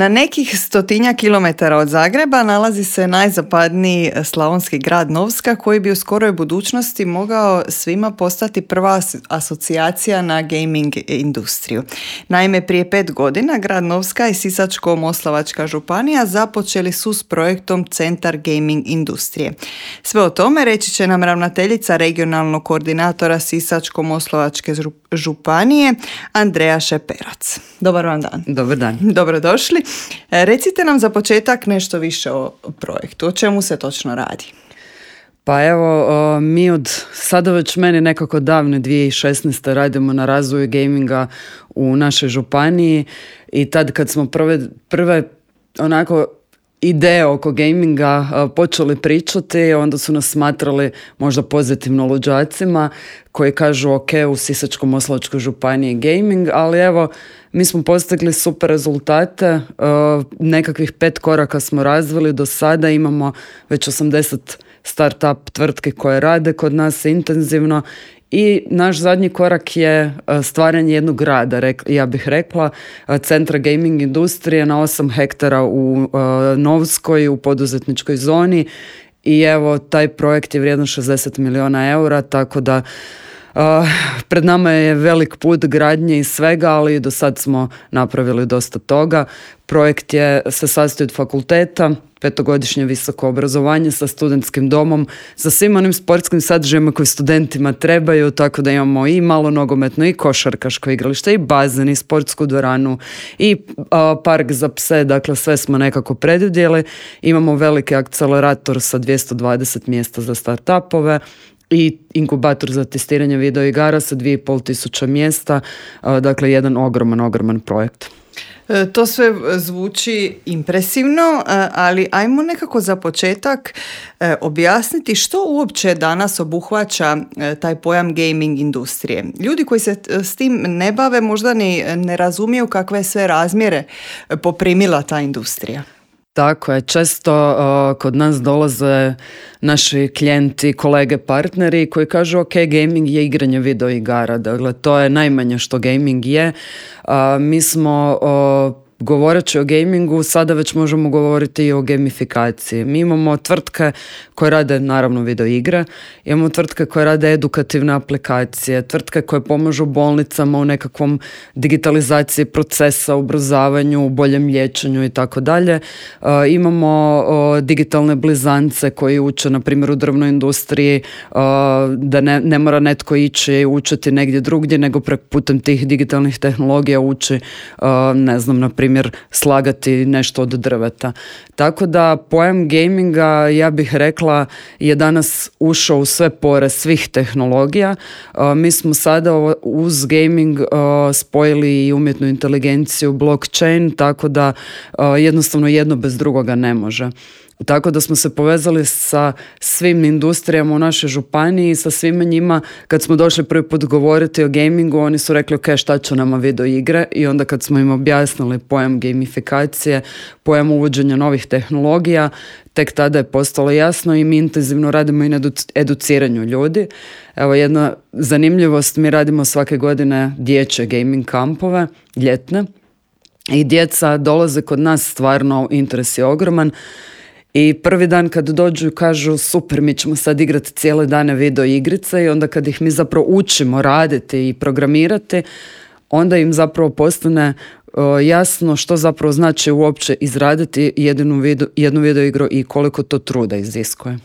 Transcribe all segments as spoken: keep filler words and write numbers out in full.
Na nekih stotinja kilometara od Zagreba nalazi se najzapadniji slavonski grad Novska, koji bi u skoroj budućnosti mogao svima postati prva asocijacija na gaming industriju. Naime, prije pet godina grad Novska i Sisačko-moslavačka županija započeli su s projektom Centar gaming industrije. Sve o tome reći će nam ravnateljica regionalnog koordinatora Sisačko-moslavačke županije Andreja Šeperac. Dobar vam dan. Dobar dan. Dobrodošli. Recite nam za početak nešto više o projektu. O čemu se točno radi? Pa evo, mi od sada već meni nekako davne dvije tisuće šesnaeste. radimo na razvoju gaminga u našoj županiji i tad kad smo prve, prve onako ideje oko gaminga uh, počeli pričati, onda su nas smatrali možda pozitivno luđacima koji kažu ok, u Sisačko-moslavačkoj županiji gaming, ali evo, mi smo postigli super rezultate, uh, nekakvih pet koraka smo razvili do sada, imamo već osamdeset start-up tvrtke koje rade kod nas intenzivno. I naš zadnji korak je stvaranje jednog grada, ja bih rekla, centra gaming industrije na osam hektara u Novskoj, u poduzetničkoj zoni. I evo, taj projekt je vrijedan šezdeset milijuna eura, tako da Uh, pred nama je velik put gradnje i svega, ali do sad smo napravili dosta toga. Projekt je, se sastoji od fakulteta, petogodišnje visoko obrazovanje sa studentskim domom, sa svim onim sportskim sadržajima koji studentima trebaju, tako da imamo i malo nogometno, i košarkaško igralište, i bazen, i sportsku dvoranu, i uh, park za pse, dakle sve smo nekako predvidjeli. Imamo veliki akcelerator sa dvjesto dvadeset mjesta za startupove, i inkubator za testiranje video igara sa dvije i pol tisuće mjesta, dakle jedan ogroman, ogroman projekt. To sve zvuči impresivno, ali ajmo nekako za početak objasniti što uopće danas obuhvaća taj pojam gaming industrije. Ljudi koji se s tim ne bave možda ni ne razumiju kakve sve razmjere poprimila ta industrija. Tako je, često uh, kod nas dolaze naši klijenti, kolege, partneri koji kažu ok, gaming je igranje video igara, dakle to je najmanje što gaming je. Uh, mi smo uh, govoreći o gamingu, sada već možemo govoriti i o gamifikaciji. Mi imamo tvrtke koje rade naravno video igre, imamo tvrtke koje rade edukativne aplikacije, tvrtke koje pomažu bolnicama u nekakvom digitalizaciji procesa, ubrzavanju, boljem liječenju i tako dalje. Imamo o, digitalne blizance koji uče, na primjer u drvnoj industriji, o, da ne, ne mora netko ići učiti negdje drugdje, nego preko putem tih digitalnih tehnologija uči, o, ne znam, na primjer primjer slagati nešto od drveta. Tako da pojam gaminga, ja bih rekla, je danas ušao u sve pore svih tehnologija. Uh, mi smo sada uz gaming uh, spojili i umjetnu inteligenciju, blockchain, tako da uh, jednostavno jedno bez drugoga ne može. Tako da smo se povezali sa svim industrijama u našoj županiji, sa svima njima. Kad smo došli prvi put govoriti o gamingu, oni su rekli ok, šta će nama video igre, i onda kad smo im objasnili pojam gamifikacije, pojam uvođenja novih tehnologija, tek tada je postalo jasno i mi intenzivno radimo i na educiranju ljudi. Evo jedna zanimljivost, mi radimo svake godine dječje gaming kampove, ljetne, i djeca dolaze kod nas, stvarno interes je ogroman. I prvi dan kad dođu i kažu super, mi ćemo sad igrati cijele dane video igrice, i onda kad ih mi zapravo učimo raditi i programirati, onda im zapravo postane uh, jasno što zapravo znači uopće izraditi jednu video, jednu video igru i koliko to truda iziskuje.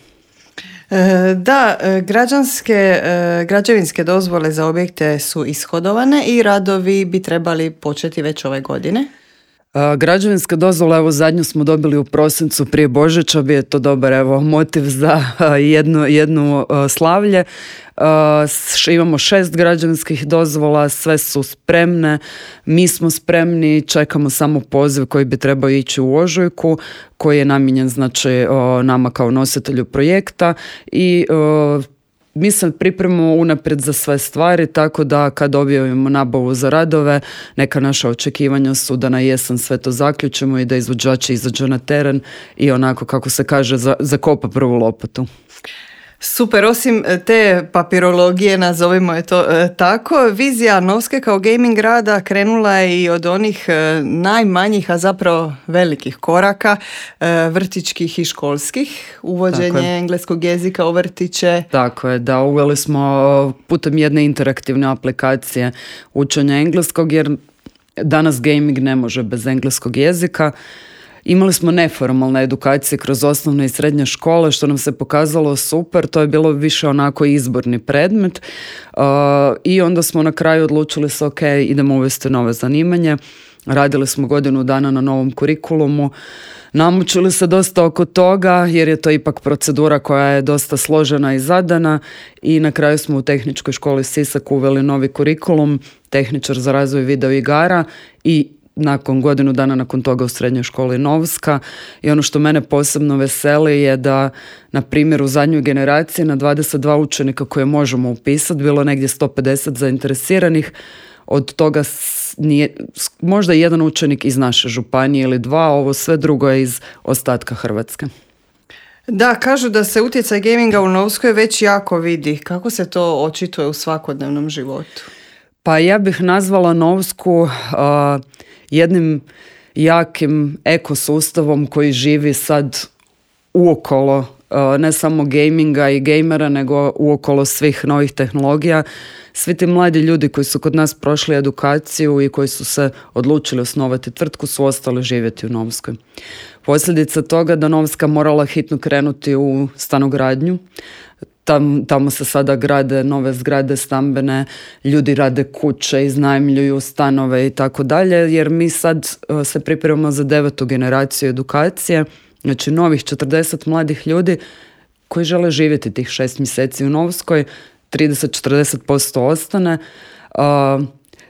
Da, građanske, građevinske dozvole za objekte su ishodovane i radovi bi trebali početi već ove godine. Uh, građevinska dozvola, evo zadnju smo dobili u prosincu prije Božića, bi je to dobar evo motiv za uh, jednu, jednu uh, slavlje. Uh, š, imamo šest građevinskih dozvola, sve su spremne, mi smo spremni, čekamo samo poziv koji bi trebao ići u ožujku, koji je namijenjen znači uh, nama kao nositelju projekta, i uh, mi se pripremamo unaprijed za sve stvari, tako da kad objavimo nabavu za radove, neka naša očekivanja su da na jesen sve to zaključimo i da izvođači izađu na teren i onako, kako se kaže, za, zakopa prvu lopatu. Super, osim te papirologije, nazovimo je to e, tako, vizija Novske kao gaming grada krenula je i od onih e, najmanjih, a zapravo velikih koraka, e, vrtićkih i školskih, uvođenje engleskog jezika u vrtiće. Tako je, da, uveli smo putem jedne interaktivne aplikacije učenja engleskog, jer danas gaming ne može bez engleskog jezika. Imali smo neformalne edukacije kroz osnovne i srednje škole, što nam se pokazalo super, to je bilo više onako izborni predmet uh, i onda smo na kraju odlučili se, ok, idemo uvesti nove zanimanje. Radili smo godinu dana na novom kurikulumu, namučili se dosta oko toga jer je to ipak procedura koja je dosta složena i zadana i na kraju smo u Tehničkoj školi Sisak uveli novi kurikulum, tehničar za razvoj video igara i nakon godinu dana nakon toga u srednjoj školi Novska. I ono što mene posebno veseli je da, na primjer, u zadnjoj generaciji na dvadeset dva učenika koje možemo upisati, bilo negdje sto pedeset zainteresiranih, od toga nije, možda jedan učenik iz naše županije ili dva, ovo sve drugo je iz ostatka Hrvatske. Da, kažu da se utjecaj gaminga u Novskoj već jako vidi. Kako se to očituje u svakodnevnom životu? Pa ja bih nazvala Novsku uh, jednim jakim ekosustavom koji živi sad uokolo uh, ne samo gaminga i gamera, nego uokolo svih novih tehnologija. Svi ti mladi ljudi koji su kod nas prošli edukaciju i koji su se odlučili osnovati tvrtku su ostali živjeti u Novskoj. Posljedica toga da Novska morala hitno krenuti u stanogradnju. Tam, tamo se sada grade nove zgrade stambene, ljudi rade kuće, iznajmljuju stanove i tako dalje, jer mi sad uh, se pripremamo za devetu generaciju edukacije, znači novih četrdeset mladih ljudi koji žele živjeti tih šest mjeseci u Novskoj, trideset do četrdeset posto ostane. Uh,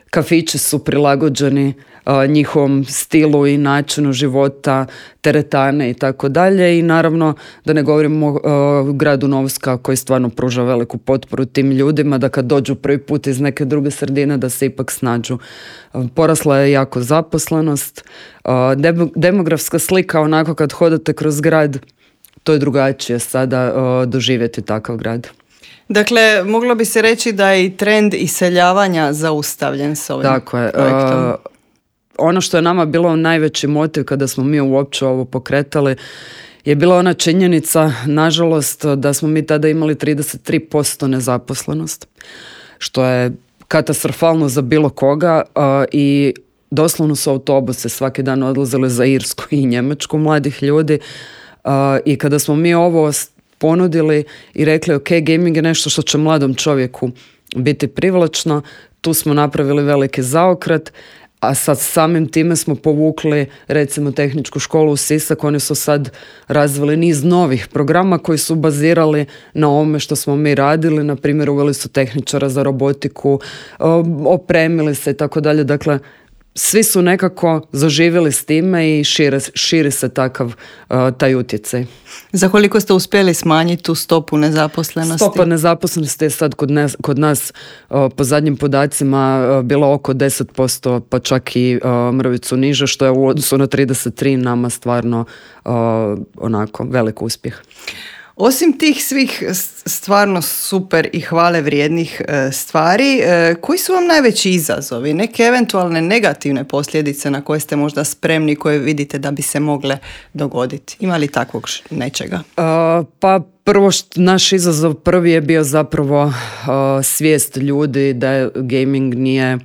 kafići su prilagođeni uh, njihovom stilu i načinu života, teretane i tako dalje i naravno da ne govorimo o uh, gradu Novska koji stvarno pruža veliku potporu tim ljudima da kad dođu prvi put iz neke druge sredine da se ipak snađu. Uh, porasla je jako zaposlenost, uh, dem- demografska slika onako kad hodate kroz grad, to je drugačije sada uh, doživjeti takav grad. Dakle, moglo bi se reći da je i trend iseljavanja zaustavljen s ovim Tako je. projektom. Uh, ono što je nama bilo najveći motiv kada smo mi uopće ovo pokretali je bila ona činjenica, nažalost, da smo mi tada imali trideset tri posto nezaposlenost, što je katastrofalno za bilo koga uh, i doslovno su autobuse svaki dan odlazili za Irsku i Njemačku mladih ljudi uh, i kada smo mi ovo ponudili i rekli ok, gaming je nešto što će mladom čovjeku biti privlačno, tu smo napravili veliki zaokret, a sad samim time smo povukli recimo Tehničku školu u Sisak, oni su sad razvili niz novih programa koji su bazirali na ovome što smo mi radili, na primjer uveli su tehničara za robotiku, opremili se i tako dalje, dakle svi su nekako zaživjeli s time i šire, širi se takav uh, taj utjecaj. Za koliko ste uspjeli smanjiti tu stopu nezaposlenosti? Stopa nezaposlenosti je sad kod nas, kod nas uh, po zadnjim podacima uh, bila oko deset posto, pa čak i uh, mrvicu niže, što je u odnosu na trideset tri nama stvarno uh, onako velik uspjeh. Osim tih svih stvarno super i hvale vrijednih stvari, koji su vam najveći izazovi? Neke eventualne negativne posljedice na koje ste možda spremni, koje vidite da bi se mogle dogoditi? Ima li takvog nečega? Uh, pa prvo što naš izazov prvi je bio zapravo uh, svijest ljudi da je gaming nije,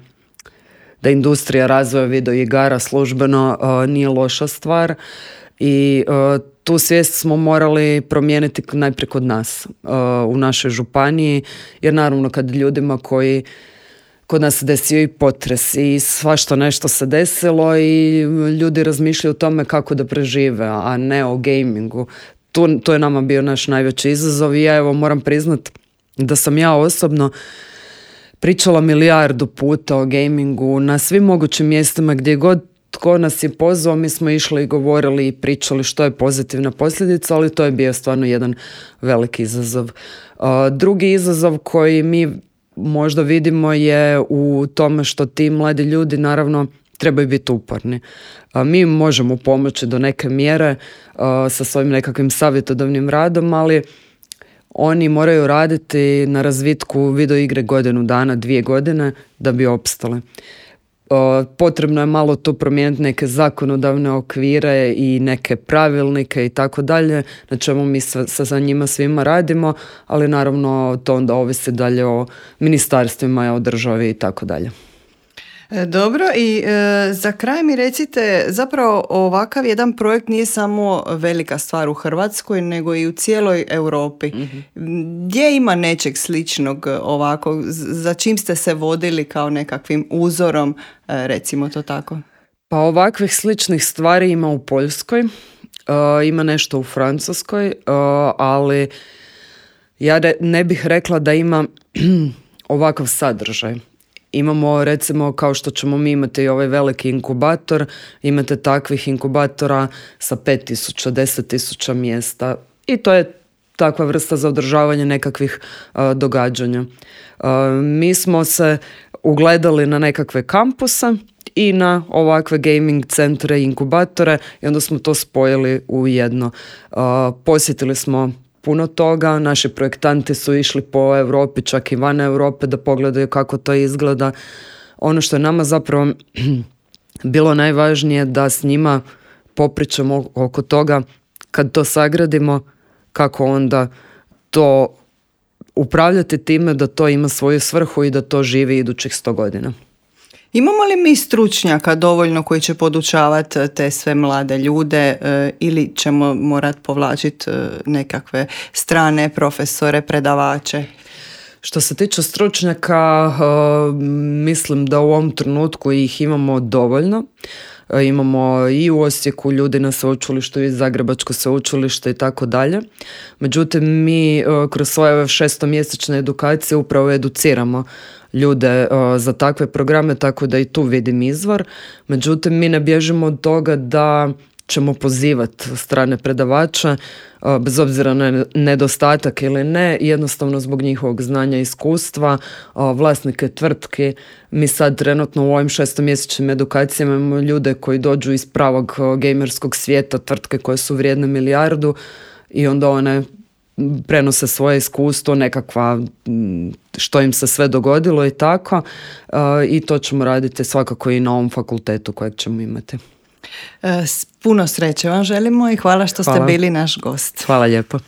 da industrija razvoja video igara službeno uh, nije loša stvar i uh, tu svijest smo morali promijeniti najprije kod nas uh, u našoj županiji, jer naravno kad ljudima koji kod nas se desio i potres i svašta nešto se desilo i ljudi razmišljaju o tome kako da prežive, a ne o gamingu. Tu, to je nama bio naš najveći izazov i ja evo moram priznat da sam ja osobno pričala milijardu puta o gamingu na svim mogućim mjestima gdje god tko nas je pozvao, mi smo išli i govorili i pričali što je pozitivna posljedica, ali to je bio stvarno jedan veliki izazov. Uh, drugi izazov koji mi možda vidimo je u tome što ti mladi ljudi naravno trebaju biti uporni. Uh, mi možemo pomoći do neke mjere uh, sa svojim nekakvim savjetodavnim radom, ali oni moraju raditi na razvitku video igre godinu dana, dvije godine da bi opstale. Potrebno je malo tu promijeniti neke zakonodavne okvire i neke pravilnike i tako dalje, na čemu mi sa, sa njima svima radimo, ali naravno to onda ovisi dalje o ministarstvima, o državi i tako dalje. Dobro, i e, za kraj mi recite, zapravo ovakav jedan projekt nije samo velika stvar u Hrvatskoj, nego i u cijeloj Europi. Mm-hmm. Gdje ima nečeg sličnog ovako? Za čim ste se vodili kao nekakvim uzorom, e, recimo to tako? Pa ovakvih sličnih stvari ima u Poljskoj, uh, ima nešto u Francuskoj, uh, ali ja ne bih rekla da ima ovakav sadržaj. Imamo recimo kao što ćemo mi imati ovaj veliki inkubator, imate takvih inkubatora sa pet tisuća, deset tisuća mjesta i to je takva vrsta za održavanje nekakvih uh, događanja. Uh, mi smo se ugledali na nekakve kampuse i na ovakve gaming centre i inkubatore i onda smo to spojili u jedno. Uh, posjetili smo puno toga, naši projektanti su išli po Europi, čak i van Europe da pogledaju kako to izgleda. Ono što je nama zapravo bilo najvažnije da s njima popričamo oko toga kad to sagradimo, kako onda to upravljati time da to ima svoju svrhu i da to živi idućih sto godina. Imamo li mi stručnjaka dovoljno koji će podučavati te sve mlade ljude e, ili ćemo morati povlačiti e, nekakve strane profesore, predavače? Što se tiče stručnjaka, e, mislim da u ovom trenutku ih imamo dovoljno. E, imamo i u Osijeku ljudi na sveučilištu i Zagrebačko sveučilište i tako dalje. Međutim, mi e, kroz svoje šestomjesečne edukacije upravo educiramo ljude uh, za takve programe, tako da i tu vidim izvor. Međutim, mi ne bježimo od toga da ćemo pozivati strane predavače, uh, bez obzira na nedostatak ili ne, jednostavno zbog njihovog znanja i iskustva, uh, vlasnike tvrtki. Mi sad trenutno u ovim šestomjesečnim edukacijama imamo ljude koji dođu iz pravog uh, gamerskog svijeta, tvrtke koje su vrijedne milijardu i onda one prenose svoje iskustvo, nekakva što im se sve dogodilo i tako uh, i to ćemo raditi svakako i na ovom fakultetu kojeg ćemo imati. Puno sreće vam želimo i hvala što hvala. Ste bili naš gost. Hvala lijepo.